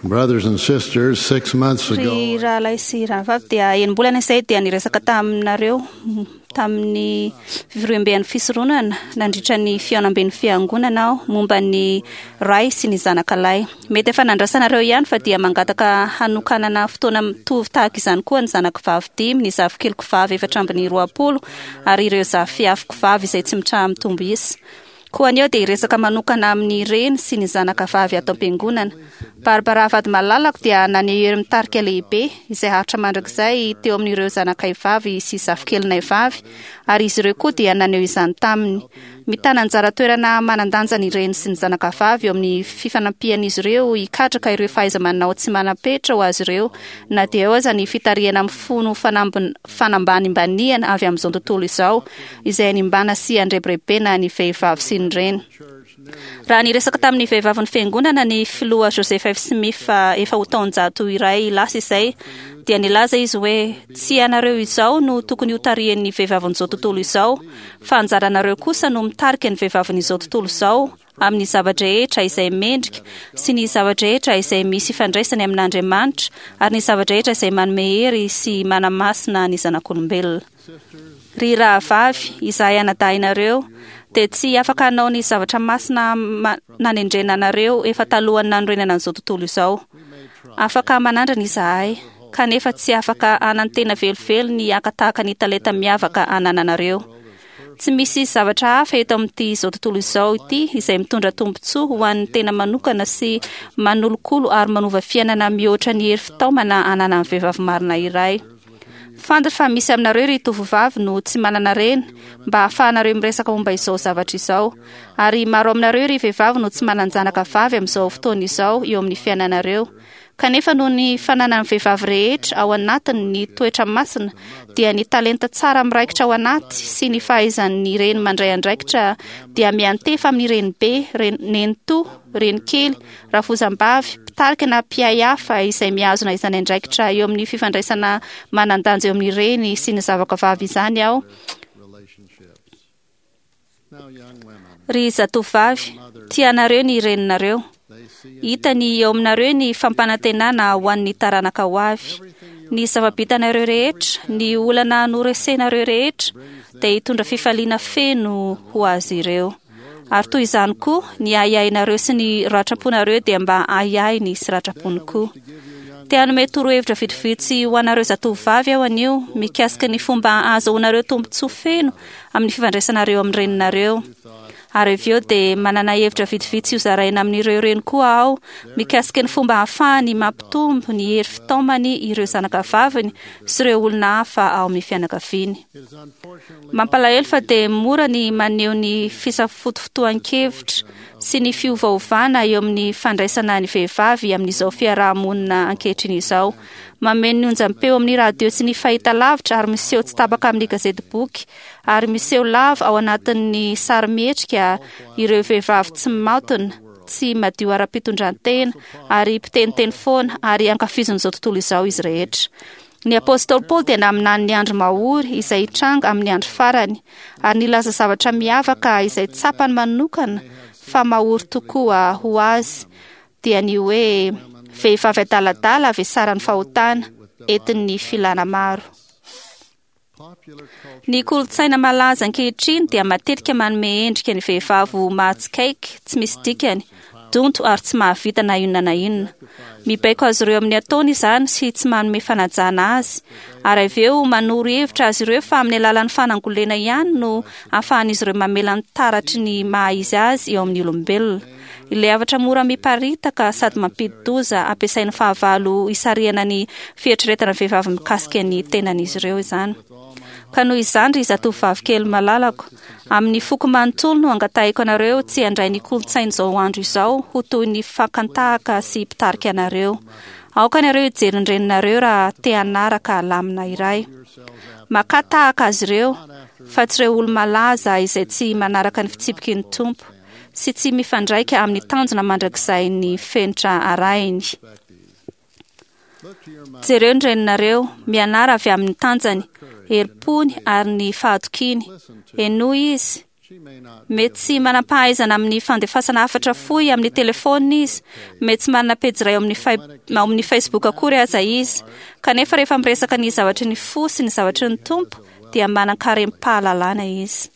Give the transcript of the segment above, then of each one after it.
Brothers and sisters, 6 months ago, Ry rahalahy sy rahavavy dia enim-bolana izay dia niresaka taminareo tamin'ny fivoriamben'ny fisoronana nandritra ny fihaonamben'ny fiangonana aho momba ny ray sy ny zanaka lahy. Mety efa nandrasanareo ihany fa dia mangataka hanokanana fotoana mitovy tahaka izany koa ny zanako vavy dimy, ny zafikeliko vavy 24 ary ireo zafiafiko vavy izay tsy mitraha-mitombo isa. Koa anio dia hiresaka manokana amin'ny reny sy ny zanaka vavy ato am-piangonana. Barbara vady malalako dia naneho hery mitarika lehibe izay haritra mandrakizay teo amin'ireo zanakay vavy sy zafikelinay vavy, ary izy ireo koa dia naneho izany taminy. Mitana anjara toerana manan-danja ny reny sy ny zanaka vavy eo amin'ny fifanampian'izy ireo hikatraka ireo fahaiza-manao tsy manam-petra ho azy ireo, na dia eo aza ny fitarihana mifono fanambanimbaniana avy amin'izao tontolo izao, izay animbana sy andrebirebena ny vehivavy sy ny reny. Raha niresaka tamin'ny vehivavin'ny fiangonana ny filoha Joseph F. Smith efa ho taonjato iray lasa izay, dia nilaza izy hoe tsy ianareo izao no tokony hotarihan'ny vehivavin'izao tontolo izao, fa anjaranareo kosa no mitarika ny vehivavin'izao tontolo izao amin'ny zava-drehetra izay mendrika sy ny zava-drehetra izay misy ifandraisany amin'Andriamanitra ary ny zava-drehetra izay manome hery sy manamasina ny zanak'olombelona. Ry rahavavy, izahay anadahinareo dia tsy afaka hanao ny zavatra masina nanendrena anareo efa talohan'ny nanorenana an'izao tontolo izao. Afaka manandrana izahay, kanefa tsy afaka hanantena velively ny haka tahaka ny talenta miavaka anananareo. Tsy misy zavatra hafa eto amin'ity izao tontolo izao ity izay mitondra tombontsoa ho an'ny tena manokana sy manolokolo ary manova fiainana mihoatra ny hery fitaomana ananan'ny vehivavy marina iray. Fantatra fa misy aminareo ry tovovavy no tsy manana reny mba hahafahanareo miresaka momba izao zavatra izao. Ary maro aminareo ry vehivavy no tsy manan-janaka vavy amin'izao fotoana izao eo amin'ny fiainanareo. Kanefa noho ny fananan'ny vehivavy rehetra ao anatiny ny toetra masina, dia ny talenta tsara miraikitra ao anaty sy ny fahaizan'ny reny mandray andraikitra dia miantefa amin'ny renibe, nenitoa, renikely, rafozam-bavy, mpitarika na mpiahy hafa izay mihazona izany andraikitra eo amin'ny fifandraisana manan-danja eo amin'ny reny sy ny zavaka vavy izany aho. Ry zatovovavy, tianareo ny reninareo. Hitany eo aminareo ny fampanantenana ho an'ny taranaka ho avy. Ny zava-bitanareo rehetra, ny olana noresenareo rehetra, dia hitondra fifaliana feno ho azy ireo. Ary toy izany koa, ny ahiahinareo sy ny ratram-ponareo dia mba ahiahiny sy ratram-pony koa. Te hanome torohevitra vitsivitsy ho anareo zatovovavy aho anio mikasika ny fomba ahazoanareo tombontsoa feno amin'ny fifandraisanareo amin'ny reninareo. Ary avy eo dia manana hevitra vitsivitsy hozaraina amin'ireo reny koa aho mikasika ny fomba ahafahany mampitombo ny hery fitaomany ireo zanakavaviny sy ireo olona hafa ao amin'ny fianakaviany. Mampalahelo fa dia mora ny maneho ny fisafotofotoan-kevitra sy ny fiovaovana eo amin'ny fandraisana ny vehivavy amin'izao fiaraha-monina ankehitriny izao. Mameno ny onjam-peo amin'ny radio sy ny fahitalavitra ary miseho tsy tapaka amin'ny gazetiboky ary miseho lava ao anatin'ny sarimihetsika ireo vehivavy tsy maotina, tsy madio ara-pitondran-tena ary mpiteniteny foana ary ankafizin'izao tontolo izao izy rehetra. Ny apostoly Paoly dia naminany ny andro mahory izay hitranga amin'ny andro farany, ary nilaza zavatra miavaka izay tsapany manokana fa mahory tokoa ho azy, dia ny hoe vehivavy adaladala vesaran'ny fahotana, entin'ny filana maro. Ny kolontsaina malaza ankehitriny dia matetika manome endrika ny vehivavy ho mahatsikaiky, tsy misy dikany, donto ary tsy mahavita na inona na inona. Mibaiko azy ireo amin'ny ataony izany sy tsy manome fanajana azy, ary avy eo manoro hevitra azy ireo fa amin'ny alalan'ny fanangolena ihany no ahafahan'izy ireo mamela ny taratry ny maha izy azy eo amin'ny olombelona. Ilay hafatra mora miparitaka sady mampidi-doza ampiasain'ny fahavalo hisarihana ny fieritreretana vehivavy mikasika ny tenan'izy ireo izany. Ka noho izany ry zatovovavy kely malalako, amin'ny foko manontolo no angatahiko anareo tsy handray ny kolontsain'izao andro izao ho toy ny fakan-tahaka sy mpitarika anareo. Aoka ianareo hijery ny reninareo raha te hanaraka lamina iray. Makà tahaka azy ireo, fa tsy ireo olo-malaza izay tsy manaraka ny fitsipiky ny Tompo sy tsy mifandraika amin'ny tanjona mandrakizain'ny fenitra arahiny. Jereo ny reninareo, mianara avy amin'ny tanjany, herim-pony ary ny fahatokiany. Henoy izy. Mety tsy manam-pahaizana amin'ny fandefasana hafatra fohy amin'ny telefaonina izy, mety tsy manana pejy iray ao amin'ny Facebook akory aza izy. Kanefa rehefa miresaka ny zavatry ny fo sy ny zavatry ny Tompo, dia manan-karem-pahalalana izy.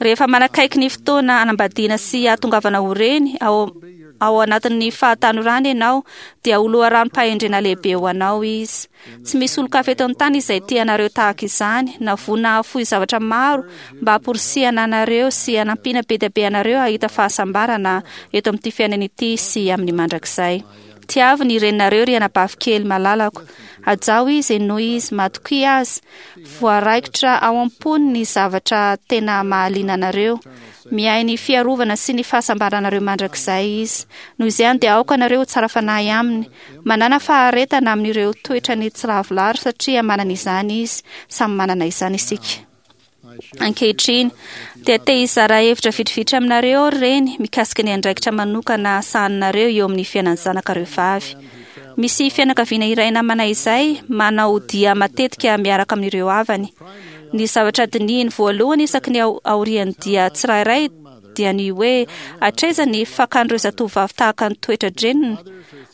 Rehefa manakaiky ny fotoana hanambadiana sy hahatongavana ho reny ao ao anatin'ny fahatanorana ianao, dia ho loharanom-pahendrena lehibe ho anao izy. Tsy misy olon-kafa eto an-tany izay tia anareo tahaka izany, na vonona hahafoy zavatra maro mba hamporisihana anareo sy hanampiana be dia be anareo hahita fahasambarana eto amin'ity fiainana ity sy amin'ny mandrakizay. Tiavo ny reninareo ry anabavy kely malalako. Hajao izy, henoy izy, matokia azy. Voaraikitra ao am-pony ny zavatra tena mahaliana anareo. Miahy ny fiarovana sy ny fahasambaranareo mandrakizay izy. Noho izany dia aoka nareo ho tsara fanahy aminy. Manàna faharetana amin'ireo toetrany tsy lavorary satria manana izany izy. Samy manana izany isika. Ankehitriny, dia te hizara hevitra vitrivitry aminareo aho ry reny mikasika ny andraikitra manokana sahaninareo eo amin'ny fiainan'ny zanakareo vavy. Misy fianakaviana iray namana izay manao dia matetika miaraka amin'ireo havany. Ny zavatra dinihiny voalohany isaky ny aorian'ny dia tsirairay dia ny hoe hatraiza ny fakan'ireo zatovovavy tahaka ny toetra-dreniny.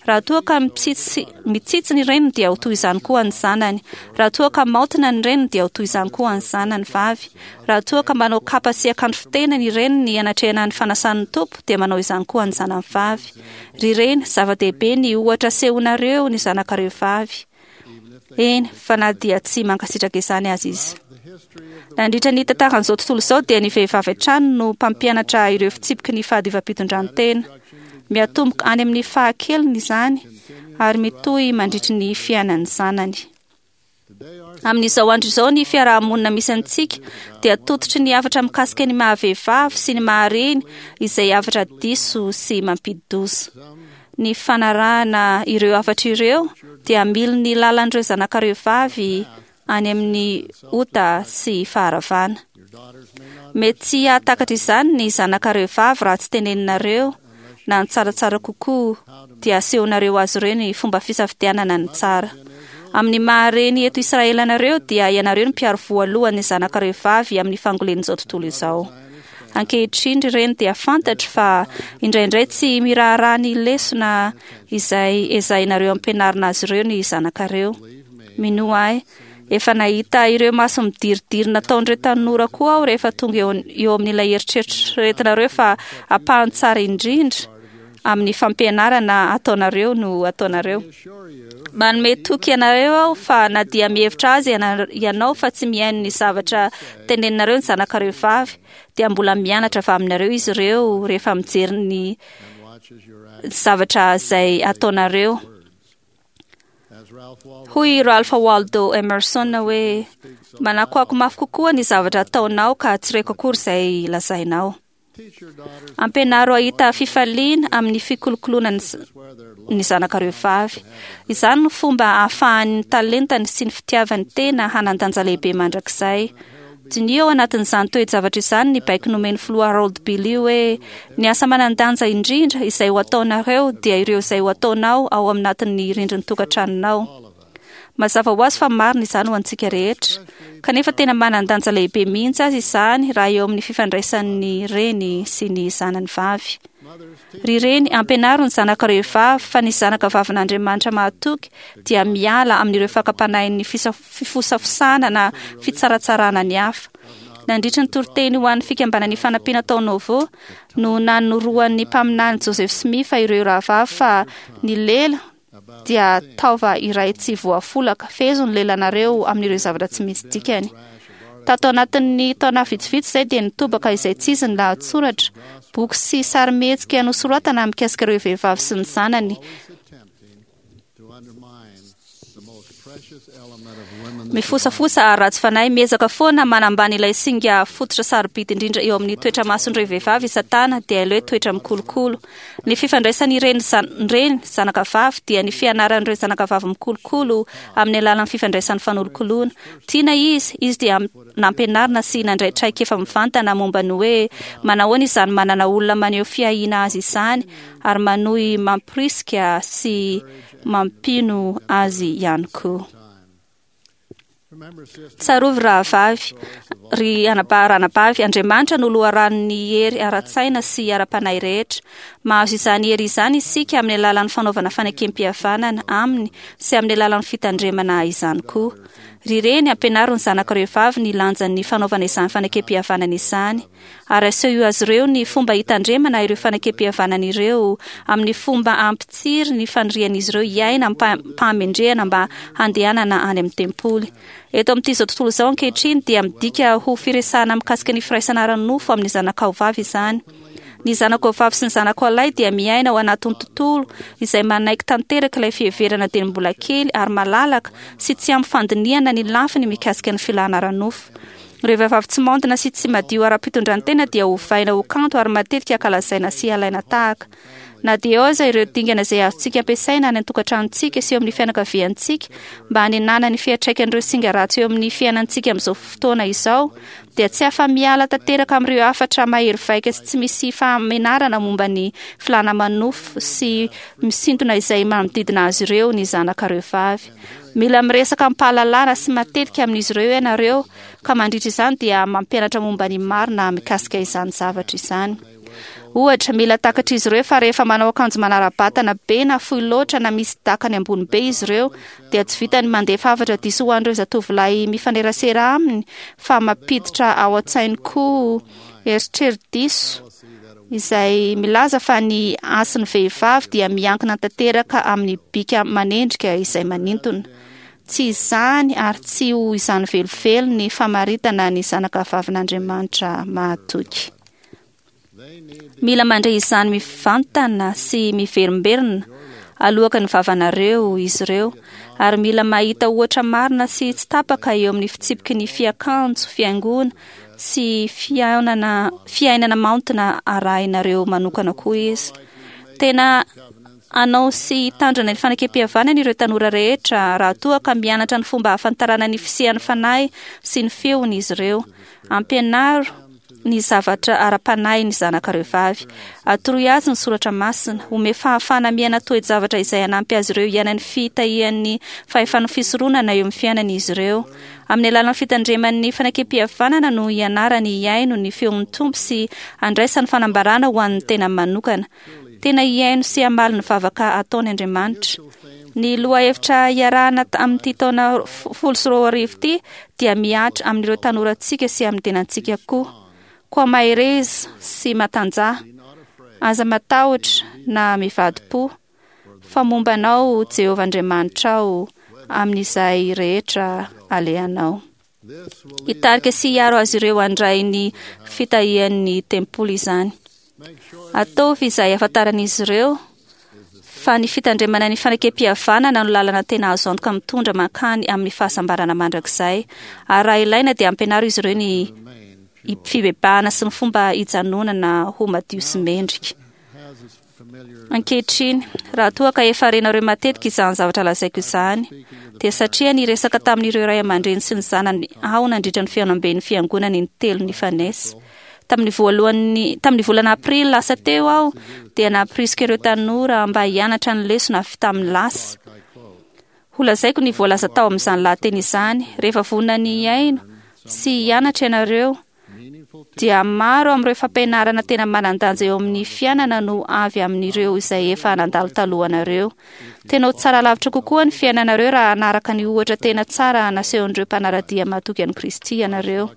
Raha toa ka mitsitsy, mitsitsy ny reniny dia ho toy izany koa ny zanany. Raha toa ka maotina ny reniny dia ho toy izany koa ny zanany vavy. Raha toa ka manao kapa sy akanjo fitena ny reniny hanatrehana ny fanasan'ny Tompo dia manao izany koa ny zanany vavy. Ry reny, zava-dehibe ny ohatra asehonareo ny zanakareo vavy. Eny, fa na dia tsy mankasitraka izany aza izy. Nandritra ny tantaran'izao tontolo izao dia ny vehivavy hatrany no mpampianatra ireo fitsipiky ny fahadiovam-pitondran-tena. Miatomboka any amin'ny fahakeliny izany ary mitohy mandritry ny fiainan'ny zanany. Amin'izao andro izao ny fiaraha-monina misy antsika dia tototry ny hafatra mikasika ny maha-vehivavy sy ny maha-reny izay hafatra diso sy mampidi-doza. Ny fanarahana ireo hafatra ireo dia hamily ny lalan'ireo zanakareo vavy any amin'ny ota sy faharavana. Mety tsy hahatakatra izany ny zanakareo vavy raha tsy teneninareo na ny tsaratsara kokoa dia asehonareo azy ireo ny fomba fisafidianana ny tsara. Amin'ny maha-reny eto Israely anareo dia ianareo no mpiaro voalohany ny zanakareo vavy amin'ny fangolen'izao tontolo izao. Ankehitriny ry reny dia fantatro fa indraindray tsy miraharaha ny lesona izay ezahinareo ampianarina azy ireo ny zanakareo. Minoa ahy, efa nahita ireo maso midiridiry nataon'ireo tanora koa aho rehefa tonga eo, eo amin'ilay eritreretinareo fa ampahany tsara indrindra amin'ny fampianarana ataonareo no ataonareo. Manome toky anareo aho fa na dia mihevitra azy ianao fa tsy mihaino ny zavatra teneninareo ny zanakareo vavy, dia mbola mianatra avy aminareo izy ireo rehefa mijery ny zavatra izay ataonareo. Hoy Ralph Waldo Emerson hoe, Manakoako mafy kokoa ny zavatra ataonao ka tsy reko akory izay lazainao. Ampianaro hahita fifaliana amin'ny fikolokoloana ny zanakareo vavy. Izany no fomba ahafahan'ny talentany sy ny fitiavany tena hanan-danja lehibe mandrakizay. Diniho ao anatin'izany toe-javatra izany ny baiko nomen'ny Filoha Harold Billy hoe, Ny asa manan-danja indrindra izay ho ataonareo dia ireo izay ho ataonao ao aminatin'ny rindrin'ny tokantranonao. Mazava ho azy fa marina izany ho antsika rehetra, kanefa tena manan-danja lehibe mihitsy aza izany raha eo amin'ny fifandraisan'ny reny sy ny zanany vavy. Ry reny, ampianaro ny zanakareo vavy fa ny zanaka vavin'Andriamanitra mahatoky dia miala amin'ireo fakam-panahin'ny fifosafosana na fitsaratsarana ny hafa. Nandritra ny toriteny ho an'ny Fikambanana Ifanampiana tao Nauvoo no nanoroan'ny mpaminany Joseph Smith ireo rahavavy fa ny lela dia taova iray tsy voafolaka. Fehezo ny lelanareo amin'ireo zavatra tsy misy dikany. Tato anatin'ny taona vitsivitsy izay dia nitobaka izay tsy izy ny lahatsoratra, boky sy sarimihetsika nosoratana mikasika ireo vehivavy sy ny zanany. Mifosafosa ary ratsy fanahy, miezaka foana manambany ilay singa fototra sarobidy indrindra eo amin'ny toetra mason'ireo vehivavy i Satana, dia ilay hoe toetra mikolokolo. Ny fifandraisan'ireny reny zanaka vavy dia ny fianaran'ireo zanaka vavy mikolokolo amin'ny alalan'ny fifandraisan'ny fanolokoloana. Tiana izy, izy dia nampianarina sy nandray traikefa mivantana momba ny hoe manahoana izany manana olona maneho fiahiana azy izany ary manohy mamporisika sy mampino azy ihany koa. Tsarovy rahavavy, ry anabavy, Andriamanitra no loharanon'ny hery ara-tsaina sy ara-panahy rehetra. Mahazo izany hery izany isika amin'ny alalan'ny fanaovana fanekem-pihavanana aminy sy amin'ny alalan'ny fitandremana izany koa. Ry reny, ampianaro ny zanakareo vavy ny lanjan'ny fanaovana izany fanekem-pihavanana izany. Ary asehoy azy ireo ny fomba hitandremana ireo fanekem-pihavanana ireo amin'ny fomba hampitsiry ny fanirian'izy ireo hiaina amim-pahamendrehana mba handehanana any amin'ny tempoly. Eto amin'ity izao tontolo izao ankehitriny dia midika ho firesahana mikasika ny firaisana ara-nofo amin'ny zanakao vavy izany. Ny zanakao vavy sy ny zanakao lahy dia miaina ao anatin'ny tontolo izay manaiky tanteraka ilay fiheverana dieny mbola kely ary malalaka sy tsy ampy fandinihana ny lafiny mikasika ny filàna ara-nofo. Ireo vehivavy tsy maontina sy tsy madio ara-pitondran-tena dia ovaina ho kanto ary matetika ankalazaina sy alaina tahaka. Na dia eo aza ireo dingana izay azontsika ampiasaina any an-tokantranontsika sy eo amin'ny fianakaviantsika mba hanenana ny fiantraikan'ireo singa ratsy eo amin'ny fiainantsika amin'izao fotoana izao, dia tsy afa-miala tanteraka amin'ireo hafatra mahery vaika sy tsy misy fahamenarana momba ny filàna manofo sy misintona izay manodidina azy ireo ny zanakareo vavy. Mila miresaka amim-pahalalana sy matetika amin'izy ireo ianareo, ka mandritra izany dia mampianatra momba ny marina mikasika izany zavatra izany. Ohatra, mila takatr'izy ireo fa rehefa manao akanjo manara-batana be na fohy loatra na misy dakany ambony be izy ireo, dia tsy vitan'ny mandefa hafatra diso ho an'ireo zatovolahy mifanerasera aminy fa mampiditra ao an-tsainy koa eritreri-diso izay milaza fa ny hasin'ny vehivavy dia miankina tanteraka amin'ny bika manendrika izay manintona. Tsy izany ary tsy ho izany velively ny famaritana ny zanakavavin'Andriamanitra mahatoky. Mila mandre izany mivantana sy miverimberina aloaka ny vavanareo izy ireo, ary mila mahita ohatra marina sy tsy tapaka eo amin'ny fitsipiky ny fiakanjo, fihaingoana sy fihaonana, fiainana maontina arahinareo manokana koa izy. Tena hanao sy hitandrina ny fanekem-pihavanana ireo tanora rehetra raha toa ka mianatra ny fomba hahafantarana ny fisian'ny Fanahy sy ny feony izy ireo. Ampianaro ny zavatra ara-panahy ny zanakareo vavy. Atoroy azy ny soratra masina. Omeo fahafahana miaina toe-javatra izay hanampy azy ireo hiaina ny fitahian'ny fahefan'ny fisoronana eo amin'ny fiainany izy ireo. Amin'ny alalan'ny fitandreman'ny fanekem-pihavanana no hianarany hihaino ny feon'ny Tompo sy handraisany fanambarana ho an'ny tenany manokana. Tena hihaino sy hamaly ny vavaka ataony Andriamanitra. Ny lohahevitra iarahana amin'ity taona 2010 ity dia mihatra amin'ireo tanorantsika sy amin'ny tenantsika koa. Koa mahereza sy matanjaha. Aza matahotra na mivadi-po, fa momba anao Jehovah Andriamanitrao amin'izay rehetra alehanao. Hitarika sy hiaro azy ireo handray ny fitahian'ny tempoly izany. Ataovy izay hahafantaran'izy ireo fa ny fitandremana ny fanekem-pihavanana no lalana tena azo antoka mitondra mankany amin'ny fahasambarana mandrakizay. Ary raha ilaina dia ampianaro izy ireo ny fibebahana sy ny fomba hijanonana ho madio sy mendrika. Ankehitriny, raha toa ka efa renareo matetika izany zavatra lazaiko izany, dia satria niresaka tamin'ireo ray aman-dreny sy ny zanany aho nandritra ny fihaonamben'ny fiangonana intelo nifanesy. Tamin'ny voalohany, tamin'ny volana aprily lasa teo aho dia nampirisika ireo tanora mba hianatra ny lesona avy tamin'ny lasa. Holazaiko ny voalaza tao amin'izany lahateny izany rehefa vonona ny hihaino sy hianatra ianareo dia maro amin'ireo fampianarana tena manan-danja eo amin'ny fiainana no avy amin'ireo izay efa nandalo talohanareo. Tena ho tsara lavitra kokoa ny fiainanareo raha hanaraka ny ohatra tena tsara nasehon'ireo mpanara-dia mahatoky an'i Kristy ianareo.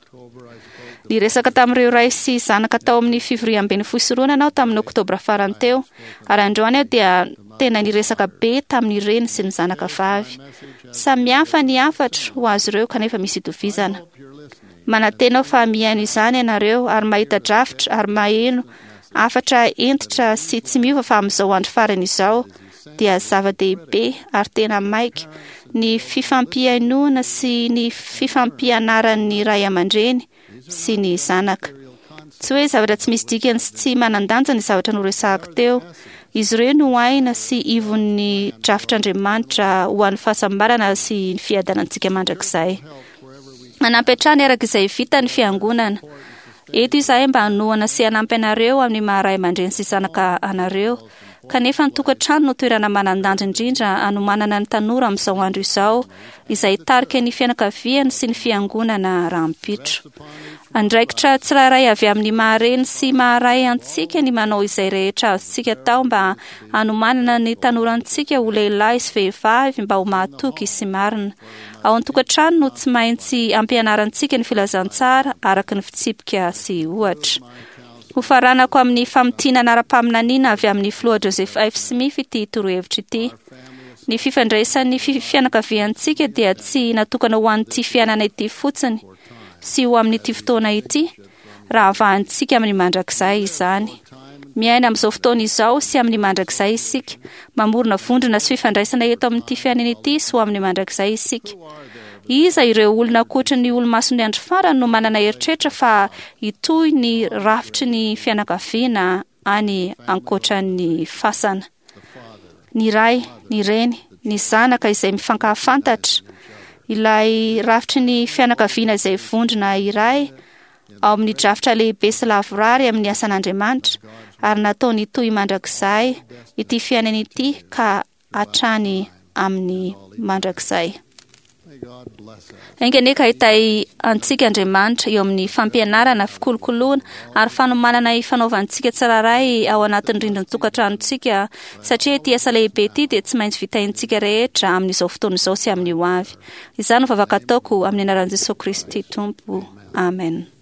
Niresaka tamin'ireo ray sy zanaka tao amin'ny fivoriamben'ny fisoronana aho tamin'ny Oktobra farany teo, ary androany aho dia tena niresaka be tamin'ny reny sy ny zanaka vavy. Samy hafa ny hafatro ho azy ireo kanefa misy itovizana. Manantena aho fa mihaino izany ianareo ary mahita drafitra ary maheno hafatra hentitra sy tsy miova fa amin'izao andro farany izao dia zava-dehibe ary tena maika ny fifampihainoana sy ny fifampianaran'ny ray aman-dreny sy ny zanaka. Tsy hoe zavatra tsy misy dikany sy tsy manan-danja ny zavatra noresahako teo. Izy ireo no aina sy ivon'ny drafitr'Andriamanitra ho an'ny fahasambarana sy ny fiadanantsika mandrakizay. Manampy hatrany araka izay vita ny Fiangonana. Eto izahay mba hanohana sy hanampy anareo amin'ny maha ray aman-dreny sy zanaka anareo. Kanefa ny tokantrano no toerana manan-danja indrindra hanomanana ny tanora amin'izao andro izao, izay hitarika ny fianakaviany sy ny fiangonana rahampitso. Andraikitra tsirairay avy amin'ny maha-reny sy maha-ray antsika ny manao izay rehetra azontsika atao mba hanomanana ny tanorantsika ho lehilahy sy vehivavy mba ho mahatoky sy marina. Ao an-tokantrano no tsy maintsy ampianarantsika ny filazantsara araka ny fitsipika sy ohatra. Hofaranako amin'ny famintinana ara-paminaniana avy amin'ny Filoha Joseph F. Smith ity torohevitra ity. Ny fifandraisan'ny fianakaviantsika dia tsy natokana ho an'ity fiainana ity fotsiny sy ho amin'ity fotoana ity, raha avahantsika amin'ny mandrakizay izany. Miaina amin'izao fotoana izao sy amin'ny mandrakizay isika. Mamorona vondrona sy fifandraisana eto amin'ity fiainana ity sy ho amin'ny mandrakizay isika. Iza ireo olona ankoatry ny olomason'ny andro farany no manana eritreritra fa hitohy ny rafitry ny fianakaviana any ankoatran'ny fasana? Ny ray, ny reny, ny zanaka izay mifankahafantatra, ilay rafitry ny fianakaviana izay vondrona iray ao amin'ny drafitra lehibe sy lavorary amin'ny asan'Andriamanitra ary nataony hitohy mandrakizay ity fiainana ity ka hatrany amin'ny mandrakizay. Enga anie ka hitahy antsika Andriamanitra eo amin'ny fampianarana, fikolokoloana ary fanomanana ifanaovantsika tsirairay ao anatin'ny rindrin-tokantranontsika, satria ity asa lehibe ity dia tsy maintsy vitaintsika rehetra amin'izao fotoana izao sy amin'ny ho avy. Izany no vavaka ataoko amin'ny anaran'i Jesoa Kristy Tompo. Amen.